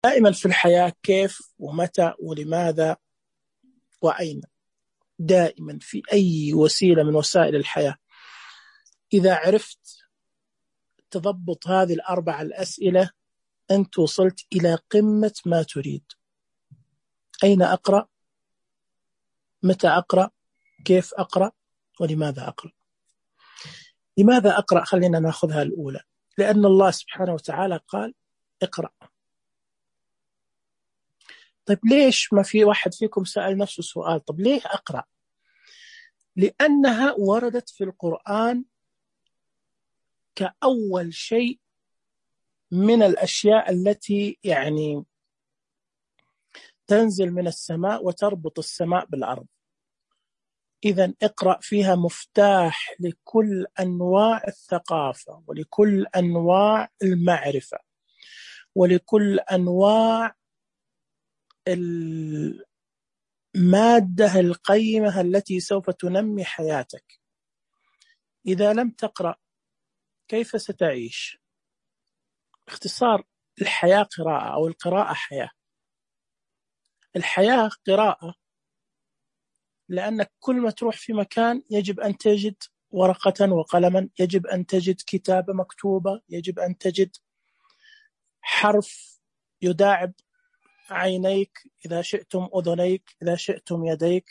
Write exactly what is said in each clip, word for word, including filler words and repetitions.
دائما في الحياة كيف ومتى ولماذا وأين. دائما في أي وسيلة من وسائل الحياة إذا عرفت تضبط هذه الأربع الأسئلة أنت وصلت إلى قمة ما تريد. أين أقرأ؟ متى أقرأ؟ كيف أقرأ؟ ولماذا أقرأ؟ لماذا أقرأ؟ خلينا نأخذها الأولى. لأن الله سبحانه وتعالى قال اقرأ. طيب ليش ما في واحد فيكم سأل نفسه سؤال طب ليه أقرأ؟ لأنها وردت في القرآن كأول شيء من الأشياء التي يعني تنزل من السماء وتربط السماء بالأرض. إذن اقرأ فيها مفتاح لكل أنواع الثقافة ولكل أنواع المعرفة ولكل أنواع المادة القيمة التي سوف تنمي حياتك. إذا لم تقرأ كيف ستعيش؟ اختصار الحياة قراءة أو القراءة حياة. الحياة قراءة لأنك كل ما تروح في مكان يجب أن تجد ورقة وقلما، يجب أن تجد كتابة مكتوبة، يجب أن تجد حرف يداعب عينيك، إذا شئتم أذنيك، إذا شئتم يديك،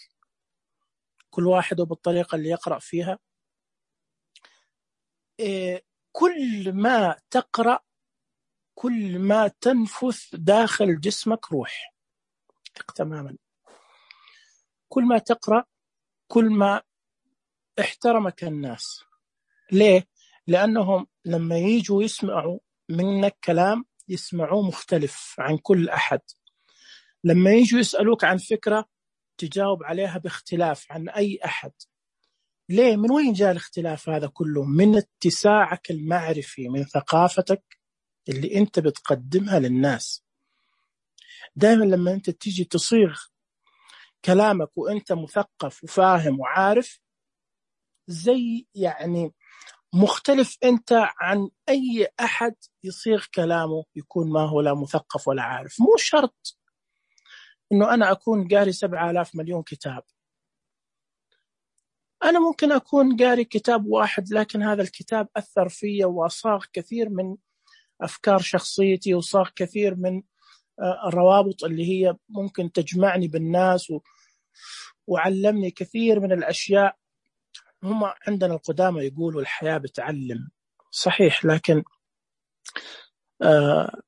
كل واحد بالطريقة اللي يقرأ فيها. إيه كل ما تقرأ كل ما تنفث داخل جسمك روح تماما. كل ما تقرأ كل ما احترمك الناس. ليه؟ لأنهم لما يجوا يسمعوا منك كلام يسمعوه مختلف عن كل أحد. لما يجوا يسألوك عن فكرة تجاوب عليها باختلاف عن أي أحد. ليه؟ من وين جاء الاختلاف هذا كله؟ من اتساعك المعرفي، من ثقافتك اللي أنت بتقدمها للناس. دائما لما أنت تيجي تصيغ كلامك وأنت مثقف وفاهم وعارف زي يعني مختلف أنت عن أي أحد يصيغ كلامه يكون ما هو لا مثقف ولا عارف. مو شرط إنه أنا أكون قاري سبعة آلاف مليون كتاب. أنا ممكن أكون قاري كتاب واحد لكن هذا الكتاب أثر فيا وصاغ كثير من أفكار شخصيتي وصاغ كثير من الروابط اللي هي ممكن تجمعني بالناس و... وعلمني كثير من الأشياء. هم عندنا القدامى يقولوا الحياة بتعلم، صحيح، لكن آه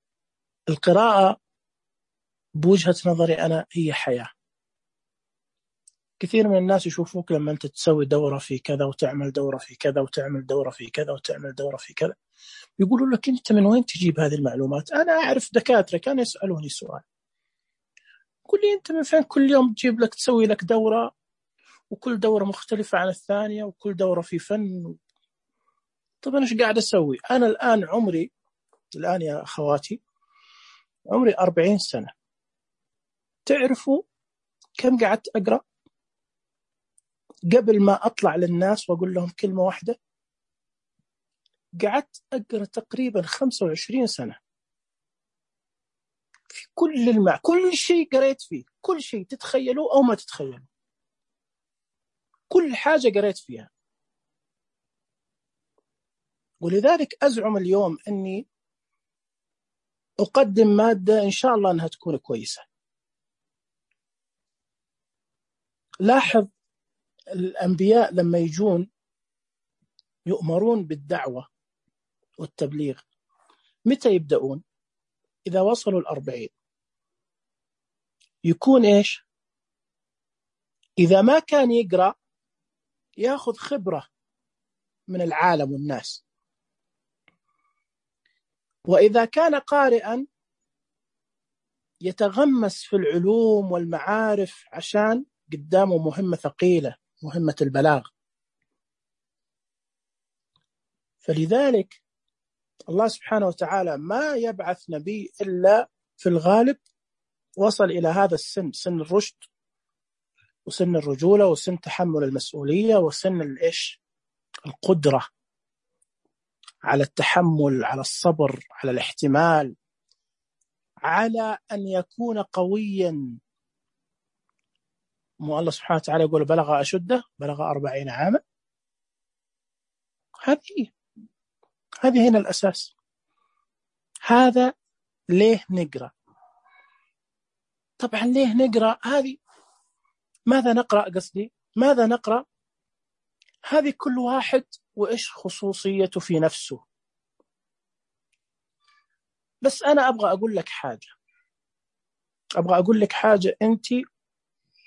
القراءة بوجهة نظري أنا هي حياة. كثير من الناس يشوفوك لما أنت تسوي دورة في كذا وتعمل دورة في كذا وتعمل دورة في كذا وتعمل دورة في كذا، يقولوا لك أنت من وين تجيب هذه المعلومات؟ أنا أعرف دكاترة كانوا يسألوني سؤال، قل لي أنت من فين كل يوم تجيب لك تسوي لك دورة وكل دورة مختلفة عن الثانية وكل دورة في فن؟ طب أنا إيش قاعد أسوي؟ أنا الآن عمري الآن يا أخواتي عمري أربعين سنة. تعرفوا كم قعدت أقرأ قبل ما أطلع للناس وأقول لهم كلمة واحدة؟ قعدت أقرأ تقريبا خمسة وعشرين سنة في كل المع كل شيء قريت فيه، كل شيء تتخيلوا أو ما تتخيلوا، كل حاجة قريت فيها. ولذلك أزعم اليوم أني أقدم مادة إن شاء الله أنها تكون كويسة. لاحظ الأنبياء لما يجون يؤمرون بالدعوة والتبليغ متى يبدأون؟ إذا وصلوا الأربعين. يكون إيش؟ إذا ما كان يقرأ يأخذ خبرة من العالم والناس، وإذا كان قارئا يتغمس في العلوم والمعارف عشان قدامه مهمة ثقيلة، مهمة البلاغ. فلذلك الله سبحانه وتعالى ما يبعث نبي إلا في الغالب وصل إلى هذا السن، سن الرشد وسن الرجولة وسن تحمل المسؤولية وسن الإيش القدرة على التحمل، على الصبر، على الاحتمال، على أن يكون قويا. مو الله سبحانه وتعالى يقول بلغ أشده، بلغ أربعين عاما. هذه هذه هنا الأساس. هذا ليه نقرأ؟ طبعا ليه نقرأ؟ هذه ماذا نقرأ؟ قصدي ماذا نقرأ؟ هذه كل واحد وإيش خصوصيته في نفسه. بس أنا أبغى أقول لك حاجة، أبغى أقول لك حاجة أنت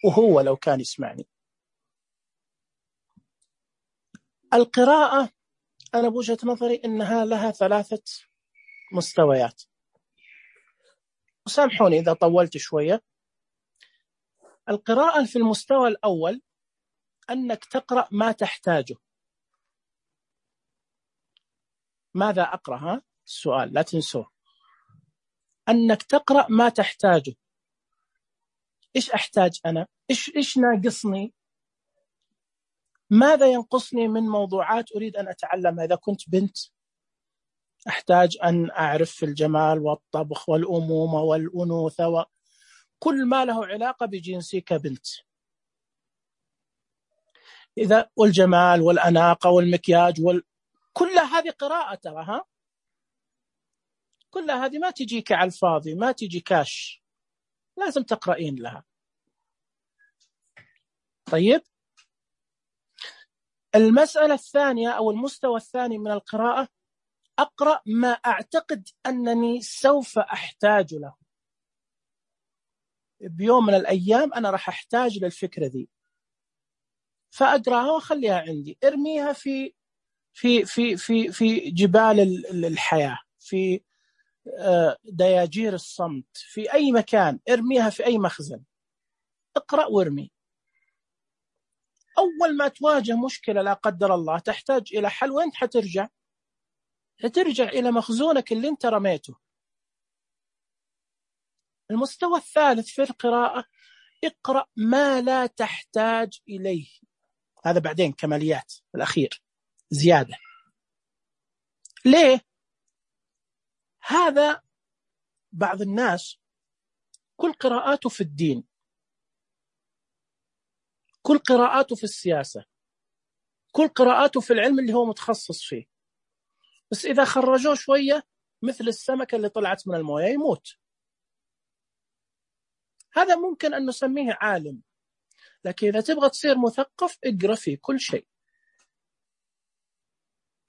وهو لو كان يسمعني. القراءة أنا بوجهة نظري إنها لها ثلاثة مستويات، وسامحوني إذا طولت شوية. القراءة في المستوى الأول أنك تقرأ ما تحتاجه. ماذا أقرأ؟ ها السؤال لا تنسوه، أنك تقرأ ما تحتاجه. إيش أحتاج أنا؟ إيش إيش ناقصني؟ ماذا ينقصني من موضوعات أريد أن أتعلمها؟ إذا كنت بنت أحتاج أن أعرف في الجمال والطبخ والأمومة والأنوثة وكل ما له علاقة بجنسي كبنت. إذا والجمال والأناقة والمكياج وال... كل هذه قراءة تراها، كل هذه ما تجيك على الفاضي، ما تجي كاش، لازم تقرأين لها. طيب، المسألة الثانية أو المستوى الثاني من القراءة، أقرأ ما أعتقد أنني سوف أحتاج له بيوم من الأيام. أنا راح أحتاج للفكرة دي، فأقرأها وأخليها عندي، ارميها في في في في في جبال الحياة، في دياجير الصمت، في أي مكان، ارميها في أي مخزن. اقرأ وارمي. أول ما تواجه مشكلة لا قدر الله تحتاج إلى حل، وين حترجع؟ حترجع إلى مخزونك اللي انت رميته. المستوى الثالث في القراءة، اقرأ ما لا تحتاج إليه. هذا بعدين كماليات الأخير زيادة. ليه؟ هذا بعض الناس كل قراءاته في الدين، كل قراءاته في السياسة، كل قراءاته في العلم اللي هو متخصص فيه، بس إذا خرجوه شوية مثل السمكة اللي طلعت من الموية يموت. هذا ممكن أن نسميه عالم، لكن إذا تبغى تصير مثقف اقرأ في كل شيء.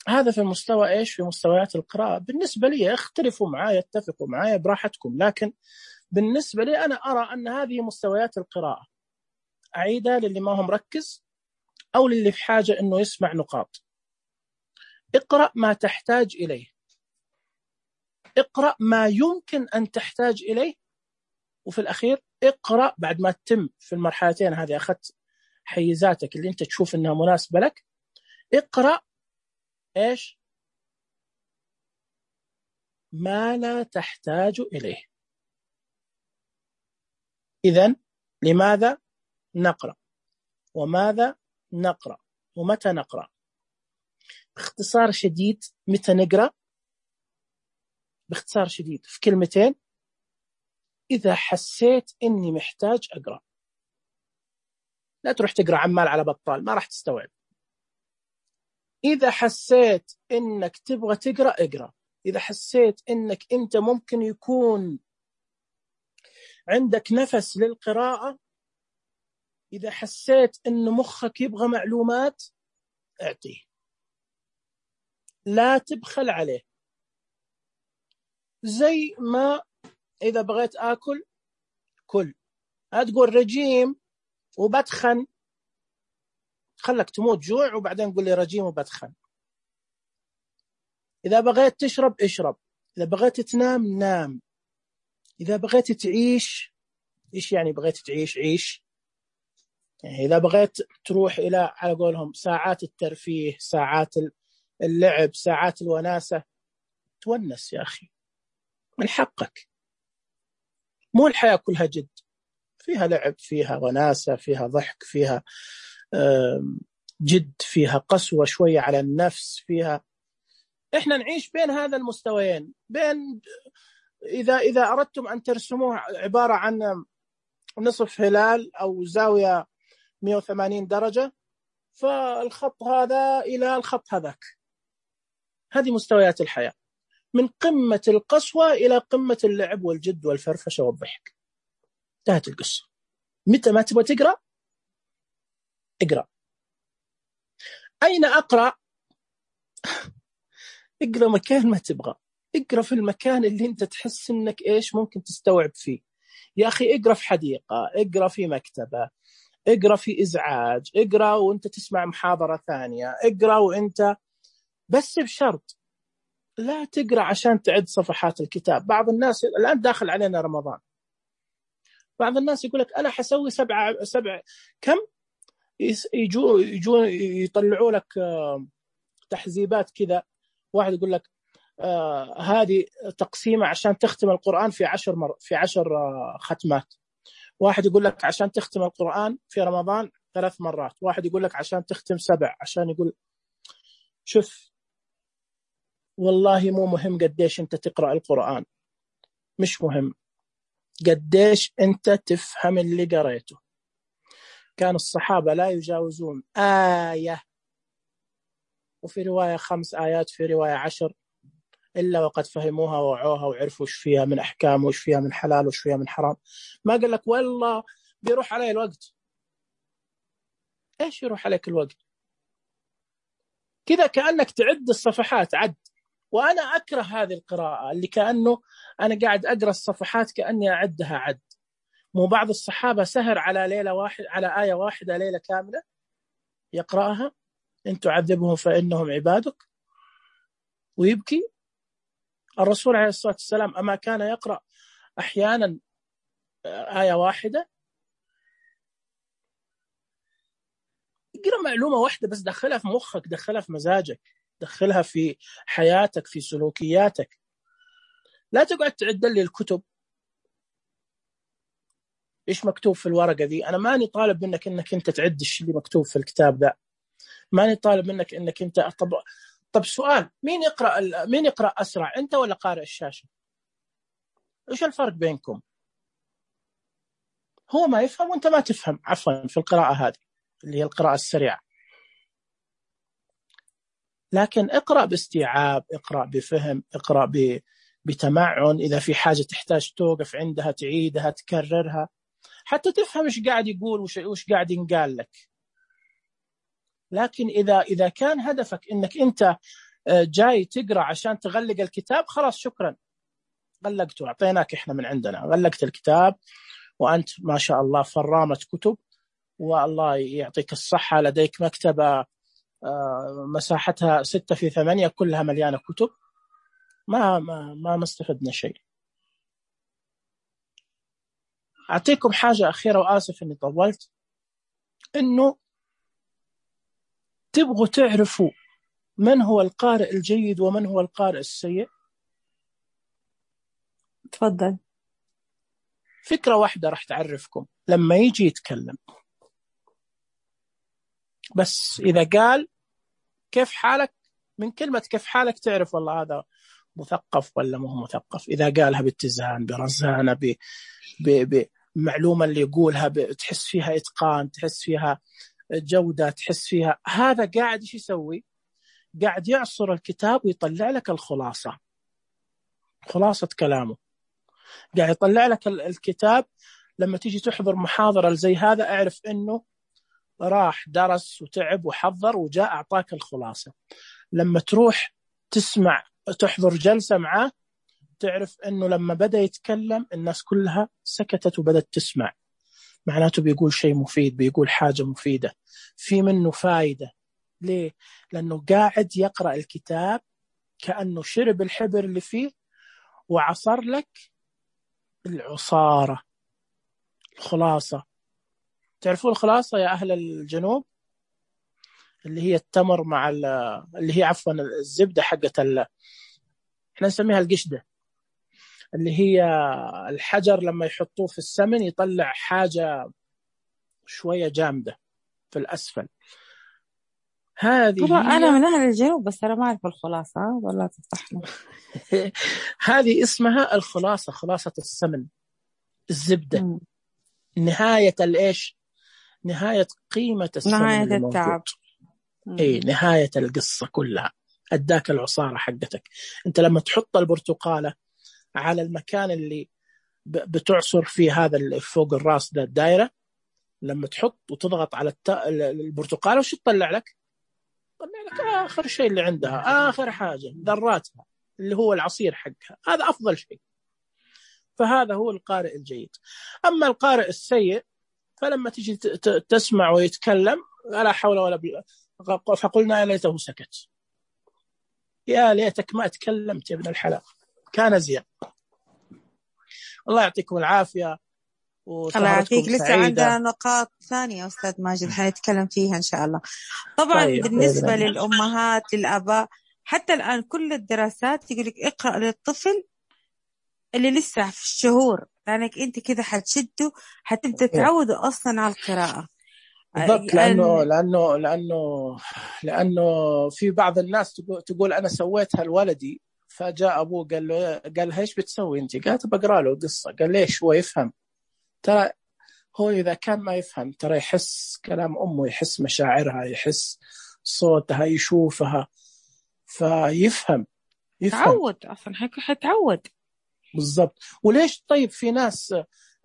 هذا في المستوى إيش؟ في مستويات القراءة. بالنسبة لي اختلفوا معايا، اتفقوا معايا براحتكم، لكن بالنسبة لي أنا أرى أن هذه مستويات القراءة. أعيدها للي ما هم مركز أو للي في حاجة أنه يسمع نقاط. اقرأ ما تحتاج إليه، اقرأ ما يمكن أن تحتاج إليه، وفي الأخير اقرأ بعد ما تتم في المرحلتين هذه، أخذت حيزاتك اللي أنت تشوف أنها مناسبة لك، اقرأ إيش؟ ما لا تحتاج إليه. إذن لماذا نقرأ؟ وماذا نقرأ؟ ومتى نقرأ؟ باختصار شديد، متى نقرأ؟ باختصار شديد في كلمتين، إذا حسيت إني محتاج أقرأ. لا تروح تقرأ عمال على بطال، ما راح تستوعب. إذا حسيت إنك تبغى تقرأ اقرأ. إذا حسيت إنك أنت ممكن يكون عندك نفس للقراءة، إذا حسيت إن مخك يبغى معلومات اعطيه، لا تبخل عليه. زي ما إذا بغيت آكل كل، هتقول رجيم وبتخن، خلك تموت جوع وبعدين قول لي رجيم وبتخن. إذا بغيت تشرب اشرب، إذا بغيت تنام نام، إذا بغيت تعيش، إيش يعني بغيت تعيش؟ عيش. يعني إذا بغيت تروح إلى على قولهم ساعات الترفيه، ساعات اللعب، ساعات الوناسة، تونس يا أخي، من حقك. مو الحياة كلها جد، فيها لعب، فيها وناسة، فيها ضحك، فيها جد، فيها قسوة شوية على النفس، فيها. إحنا نعيش بين هذا المستويين، بين إذا إذا أردتم أن ترسموه عبارة عن نصف هلال أو زاوية مئة وثمانين درجة، فالخط هذا إلى الخط هذاك. هذه مستويات الحياة، من قمة القسوة إلى قمة اللعب والجد والفرفشة والضحك. انتهت القصة. متى ما تبغى تقرأ اقرأ. أين أقرأ؟ اقرأ مكان ما تبغى، اقرأ في المكان اللي انت تحس انك ايش ممكن تستوعب فيه. يا أخي اقرأ في حديقة، اقرأ في مكتبة، اقرأ في إزعاج، اقرأ وانت تسمع محاضرة ثانية، اقرأ وانت بس بشرط لا تقرأ عشان تعد صفحات الكتاب. بعض الناس الآن داخل علينا رمضان، بعض الناس يقول لك أنا حسوي سبعة سبع كم يجوا يجوا يطلعوا لك تحزيبات كذا. واحد يقول لك آه هذه تقسيمة عشان تختم القرآن في عشر مر في عشر آه ختمات. واحد يقول لك عشان تختم القرآن في رمضان ثلاث مرات. واحد يقول لك عشان تختم سبع. عشان يقول شوف، والله مو مهم قديش أنت تقرأ القرآن، مش مهم قديش أنت تفهم اللي قرأته. كان الصحابة لا يجاوزون آية، وفي رواية خمس آيات، في رواية عشر، إلا وقد فهموها ووعوها وعرفوا وش فيها من أحكام وش فيها من حلال وش فيها من حرام. ما قال لك والله بيروح علي الوقت. إيش يروح عليك الوقت؟ كذا كأنك تعد الصفحات عد. وأنا أكره هذه القراءة اللي كأنه أنا قاعد أقرأ الصفحات كأني أعدها عد. مو بعض الصحابة سهر على ليلة واحد على آية واحدة ليلة كاملة يقرأها، إن تعذبهم فإنهم عبادك، ويبكي. الرسول عليه الصلاة والسلام أما كان يقرأ أحيانا آية واحدة؟ اقرأ معلومة واحدة بس، دخلها في مخك، دخلها في مزاجك، دخلها في حياتك، في سلوكياتك. لا تقعد تعد لي الكتب إيش مكتوب في الورقة ذي. أنا ماني طالب منك إنك أنت تعد الشيء اللي مكتوب في الكتاب ذا، ماني طالب منك إنك أنت طب طب سؤال، مين يقرأ ال... مين يقرأ أسرع، أنت ولا قارئ الشاشة؟ إيش الفرق بينكم؟ هو ما يفهم وأنت ما تفهم، عفوا، في القراءة هذه اللي هي القراءة السريعة. لكن اقرأ باستيعاب، اقرأ بفهم، اقرأ ب... بتمعن. إذا في حاجة تحتاج توقف عندها تعيدها تكررها حتى تفهم إيش قاعد يقول وش وش قاعد ينقال لك. لكن إذا إذا كان هدفك إنك أنت جاي تقرأ عشان تغلق الكتاب، خلاص شكرا، غلقته، أعطيناك إحنا من عندنا، غلقت الكتاب وأنت ما شاء الله فرامة كتب، والله يعطيك الصحة، لديك مكتبة مساحتها ستة في ثمانية كلها مليانة كتب. ما ما ما مستفدنا شيء. أعطيكم حاجة أخيرة وآسف إني طولت، إنه تبغوا تعرفوا من هو القارئ الجيد ومن هو القارئ السيء؟ تفضل. فكرة واحدة راح تعرفكم. لما يجي يتكلم بس إذا قال كيف حالك، من كلمة كيف حالك تعرف والله هذا مثقف ولا مو مثقف. إذا قالها باتزان برزانة بمعلومة اللي يقولها تحس فيها إتقان، تحس فيها جودة، تحس فيها، هذا قاعد إيش يسوي؟ قاعد يعصر الكتاب ويطلع لك الخلاصة، خلاصة كلامه. قاعد يطلع لك الكتاب. لما تيجي تحضر محاضرة زي هذا اعرف إنه راح درس وتعب وحضر وجاء أعطاك الخلاصة. لما تروح تسمع تحضر جلسة معاه تعرف إنه لما بدأ يتكلم الناس كلها سكتت وبدأت تسمع، معناته بيقول شيء مفيد، بيقول حاجة مفيدة، في منه فايدة. ليه؟ لأنه قاعد يقرأ الكتاب كأنه شرب الحبر اللي فيه وعصر لك العصارة، الخلاصة. تعرفوا الخلاصة يا أهل الجنوب؟ اللي هي التمر مع اللي هي عفوا الزبدة حقت ال... احنا نسميها القشدة، اللي هي الحجر لما يحطوه في السمن يطلع حاجة شوية جامدة في الأسفل. هذه طبعا هي أنا من أهل الجنوب بس أنا ما أعرف الخلاصة، ولا تفتحنا. هذه اسمها الخلاصة، خلاصة السمن، الزبدة. مم. نهاية الإيش؟ نهاية قيمة السمن نهاية اللي موجود. التعب. إيه، نهاية القصة كلها. أداك العصارة حقتك. أنت لما تحط البرتقالة على المكان اللي بتعصر فيه، هذا اللي فوق الراس ده الدائرة، لما تحط وتضغط على الت... البرتقالة وش تطلع لك؟ طلع لك آخر شيء اللي عندها، آخر حاجة ذراتها اللي هو العصير حقها. هذا أفضل شيء. فهذا هو القارئ الجيد. أما القارئ السيء فلما تجي تسمع ويتكلم لا حول ولا بالله، فقلنا يا ليته سكت، يا ليتك ما تكلمت يا ابن الحلال، كان زين. الله يعطيكم العافية وسهرتكم سعيدة. لسه عندنا نقاط ثانية أستاذ ماجد حنتكلم فيها إن شاء الله. طبعا طيب. بالنسبة للأمهات للآباء حتى الآن كل الدراسات يقول لك اقرأ للطفل اللي لسه في الشهور، لأنك أنت كده حتشده حتبدأ تعوده أصلا على القراءة. بالضبط. لأنه لأنه لأنه لأنه في بعض الناس تقول أنا سويتها لولدي، فجاء أبوه قال له قال ايش بتسوي أنت؟ قالت بقرأ له قصة. قال ليش؟ هو يفهم. ترى هو إذا كان ما يفهم ترى يحس كلام أمه، يحس مشاعرها، يحس صوتها، يشوفها، فيفهم يفهم تعود أصلا حيتعود. بالضبط. وليش طيب في ناس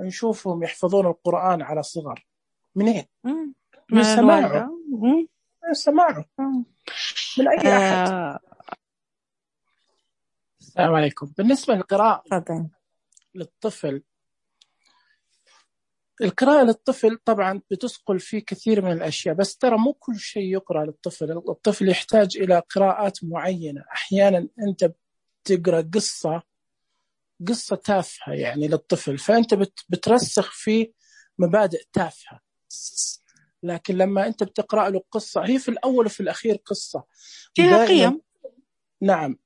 نشوفهم يحفظون القرآن على صغر؟ منين؟ من سماعه، من سماعه من أي أحد. آه. السلام عليكم. بالنسبة للقراءة طبعا للطفل، القراءة للطفل طبعا بتسقل فيه كثير من الأشياء، بس ترى مو كل شيء يقرأ للطفل. الطفل يحتاج إلى قراءات معينة. أحيانا أنت بتقرأ قصة قصة تافهة يعني للطفل، فأنت بترسخ فيه مبادئ تافهة، لكن لما أنت بتقرأ له قصة هي في الأول وفي الأخير قصة فيها قيم. نعم،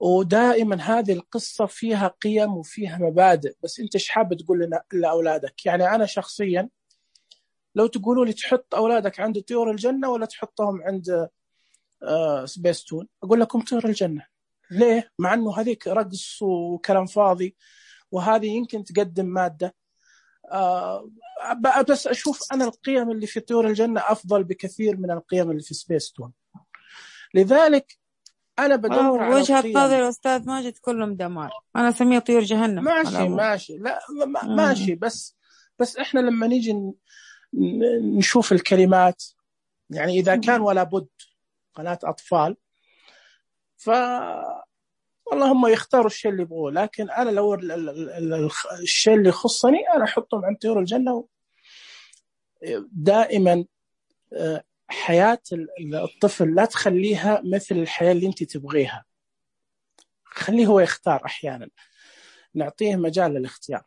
ودائما هذه القصة فيها قيم وفيها مبادئ، بس أنت إيش حابب تقول لنا لأولادك؟ يعني أنا شخصيا لو تقولوا لي تحط أولادك عند طيور الجنة ولا تحطهم عند آه سبيستون، أقول لكم طيور الجنة. ليه؟ مع أنه هذيك رقص وكلام فاضي، وهذه يمكن تقدم مادة، آه بس أشوف أنا القيم اللي في طيور الجنة أفضل بكثير من القيم اللي في سبيستون. لذلك أنا بدور على وجهة القيم. نظر أستاذ ماجد كلهم دمار، أنا أسميها طيور جهنم. ماشي ماشي لا ماشي، بس بس إحنا لما نيجي نشوف الكلمات، يعني إذا كان ولا بد قناة أطفال ف والله هم يختاروا الشيء اللي يبغوه، لكن أنا لو الشيء اللي يخصني أنا أحطهم عند طيور الجنة. دائما حياة الطفل لا تخليها مثل الحياة اللي أنت تبغيها، خليه هو يختار. أحيانا نعطيه مجال للاختيار.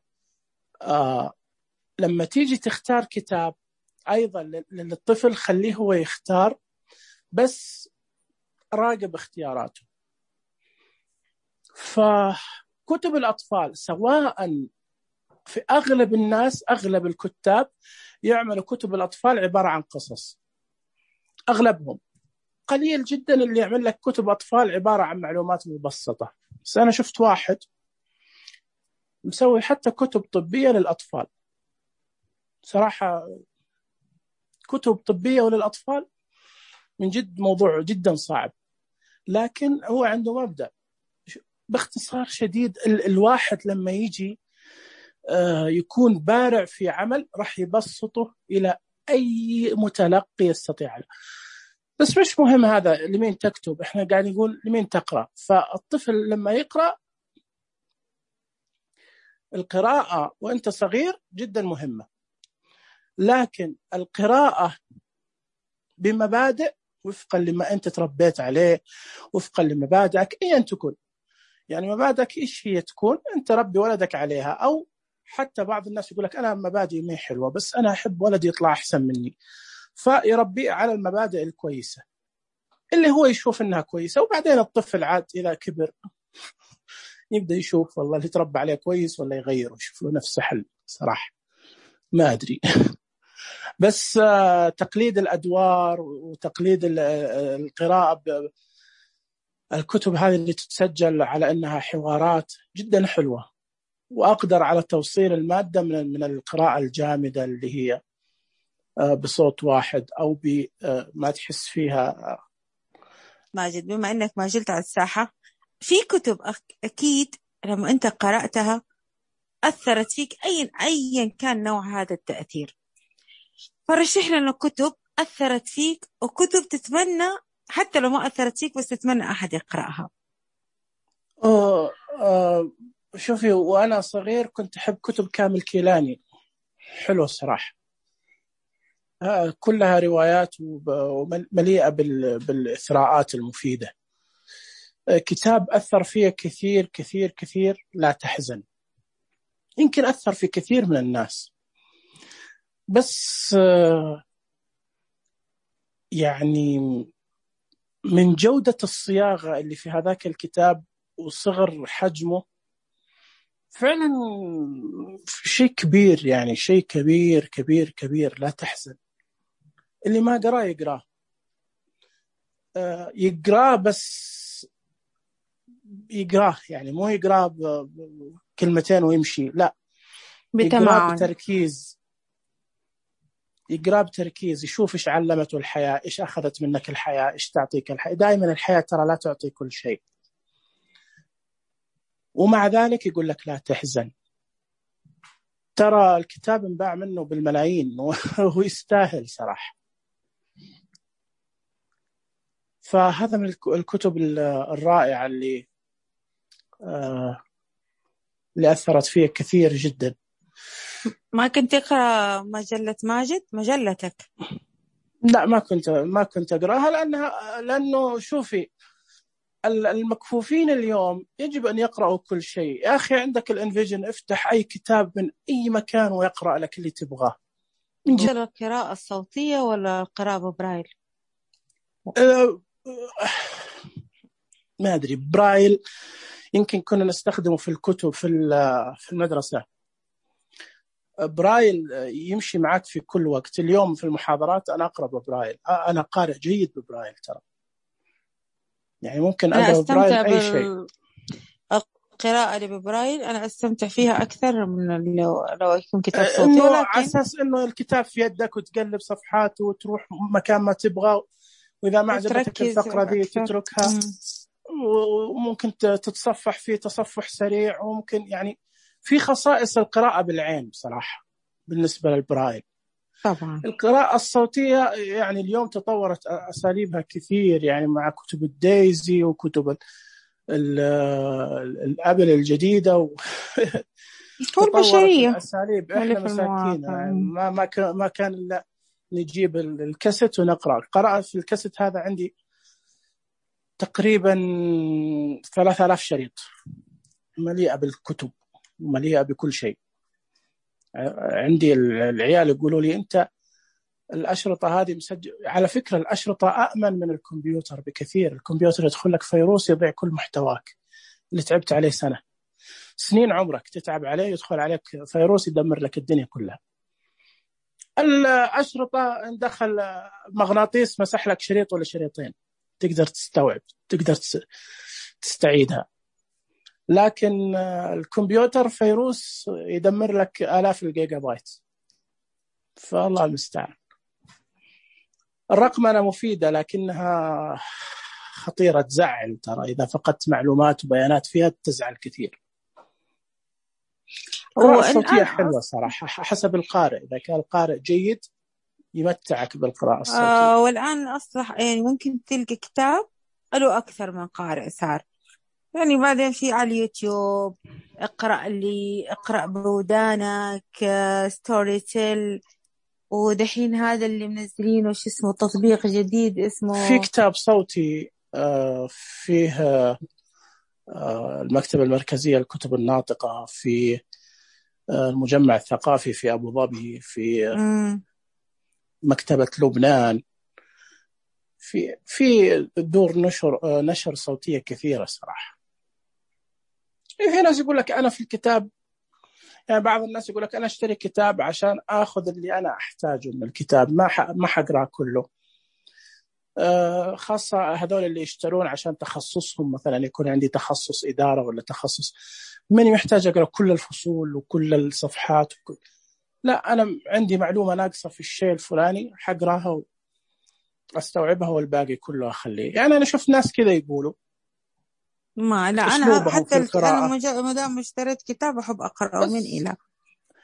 آه لما تيجي تختار كتاب أيضا للطفل خليه هو يختار، بس راقب اختياراته. فكتب الأطفال سواء في أغلب الناس، أغلب الكتاب يعملوا كتب الأطفال عبارة عن قصص، أغلبهم. قليل جدا اللي يعمل لك كتب أطفال عبارة عن معلومات مبسطة. بس أنا شفت واحد مسوي حتى كتب طبية للأطفال، صراحة كتب طبية وللأطفال من جد موضوع جدا صعب، لكن هو عنده مبدأ. باختصار شديد، الواحد لما يجي يكون بارع في عمل راح يبسطه إلى أي متلقي يستطيع له. بس مش مهم هذا لمين تكتب، احنا قاعد نقول لمين تقرأ. فالطفل لما يقرأ، القراءة وانت صغير جدا مهمة، لكن القراءة بمبادئ وفقا لما انت تربيت عليه، وفقا لمبادئك ايا تكون. يعني مبادئك ايش هي تكون، انت ربي ولدك عليها. او حتى بعض الناس يقول لك انا مبادئي ما حلوة بس انا احب ولدي يطلع احسن مني، فيربيه على المبادئ الكويسة اللي هو يشوف انها كويسة. وبعدين الطفل عاد اذا كبر يبدأ يشوف والله اللي تربى عليه كويس ولا يغيره، يشوف له نفسه حل. صراحة ما أدري. بس تقليد الأدوار وتقليد القراءة، الكتب هذه اللي تتسجل على أنها حوارات جدا حلوة، وأقدر على توصيل المادة من من القراءة الجامدة اللي هي بصوت واحد أو بما تحس فيها. ماجد، بما أنك ما زلت على الساحة، في كتب أكيد لما أنت قرأتها أثرت فيك أيا أيا كان نوع هذا التأثير، فرشح لنا كتب أثرت فيك، وكتب تتمنى حتى لو ما أثرت فيك بس تتمنى أحد يقرأها. أوه أوه شوفي، وأنا صغير كنت أحب كتب كامل كيلاني، حلوة الصراحة، كلها روايات ومليئة بالإثراءات المفيدة. كتاب أثر فيه كثير كثير كثير، لا تحزن، يمكن أثر في كثير من الناس، بس يعني من جودة الصياغة اللي في هذاك الكتاب وصغر حجمه فعلا شيء كبير، يعني شيء كبير كبير كبير. لا تحزن، اللي ما قرأ يقرأ يقرأ بس يقرأ، يعني مو يقرأ بكلمتين ويمشي، لا، يقرأ بتركيز، يقرأ بتركيز، يشوف إيش علمته الحياة، إيش أخذت منك الحياة، إيش تعطيك الحياة. دائما الحياة ترى لا تعطي كل شيء، ومع ذلك يقول لك لا تحزن. ترى الكتاب انباع منه بالملايين وهو يستاهل صراحة. فهذا من الكتب الرائعة اللي آه اللي أثرت فيه كثير جدا. ما كنت تقرأ مجلة ماجد، مجلتك؟ لا، ما كنت ما كنت أقرأها، لأنها لأنه شوفي، المكفوفين اليوم يجب أن يقرأوا كل شيء. يا أخي عندك الانفيجن، افتح أي كتاب من أي مكان ويقرأ لك اللي تبغاه. القراءة الصوتية ولا القراءة ببرايل؟ أه ما أدري، برايل يمكن كنا نستخدمه في الكتب في في المدرسة. برايل يمشي معك في كل وقت. اليوم في المحاضرات أنا أقرأ ببرايل، أنا قارئ جيد ببرايل ترى، يعني ممكن أقرأ ببرايل أي بال... شيء. القراءة اللي ببرايل أنا أستمتع فيها أكثر من لو, لو يكون كتاب صوتي، إنه ولكن على أساس إنه الكتاب في يدك وتقلب صفحات وتروح مكان ما تبغى، وإذا ما عجبتك الفقرة ذي تتركها. م. وممكن تتصفح فيه تصفح سريع، وممكن يعني في خصائص القراءة بالعين بصراحة بالنسبة للبرايل. طبعا القراءة الصوتية يعني اليوم تطورت أساليبها كثير، يعني مع كتب الدايزي وكتب الأبل الجديدة و... والبشرية الأساليب. إحنا مساكين يعني ما ما كان ما كان إلا نجيب الكاسيت ونقرأ. قرأت في الكاسيت هذا عندي تقريبا ثلاثة آلاف شريط، مليئة بالكتب ومليئة بكل شيء. عندي العيال يقولوا لي أنت الأشرطة هذه مسجل. على فكرة الأشرطة أأمن من الكمبيوتر بكثير. الكمبيوتر يدخل لك فيروس يضيع كل محتواك اللي تعبت عليه سنة سنين عمرك تتعب عليه، يدخل عليك فيروس يدمر لك الدنيا كلها. الأشرطة ندخل مغناطيس مسح لك شريط ولا شريطين، تقدر تستوعب، تقدر تستعيدها. لكن الكمبيوتر فيروس يدمر لك آلاف الجيجا بايت، فالله المستعان. الرقمنة مفيدة لكنها خطيرة، تزعل ترى. إذا فقدت معلومات وبيانات فيها تزعل كثير. القراءة الصوتية حلوة صراحة حسب القارئ، إذا كان القارئ جيد يمتعك بالقراءة الصوتية. آه والآن أصلح يعني ممكن تلقى كتاب له أكثر من قارئ صار، يعني بعدين في على اليوتيوب اقرأ اللي اقرأ بودانك، ستوري تيل، ودحين هذا اللي منزلينه شو اسمه تطبيق جديد اسمه في كتاب صوتي فيه المكتبة المركزية للكتب الناطقة، في المجمع الثقافي في أبو ظبي، في مم. مكتبة لبنان، في في دور نشر نشر صوتية كثيرة صراحة. في ناس يقول لك أنا في الكتاب يعني بعض الناس يقول لك أنا أشتري كتاب عشان أخذ اللي أنا أحتاجه من الكتاب، ما ح... ما حقرأ كله. آه خاصة هذول اللي يشترون عشان تخصصهم، مثلا يكون عندي تخصص إدارة ولا تخصص، من يحتاج أقرأ كل الفصول وكل الصفحات وكل... لا، أنا عندي معلومة ناقصة في الشيء الفلاني حقرأها واستوعبها والباقي كله أخليه. يعني أنا شفت ناس كذا يقولوا. ما لا أنا حتى الك... أنا ما دام اشتريت كتاب أحب أقرأه من إلى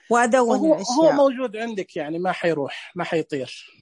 وأدون هو الأشياء. هو موجود عندك، يعني ما حيروح ما حيطير.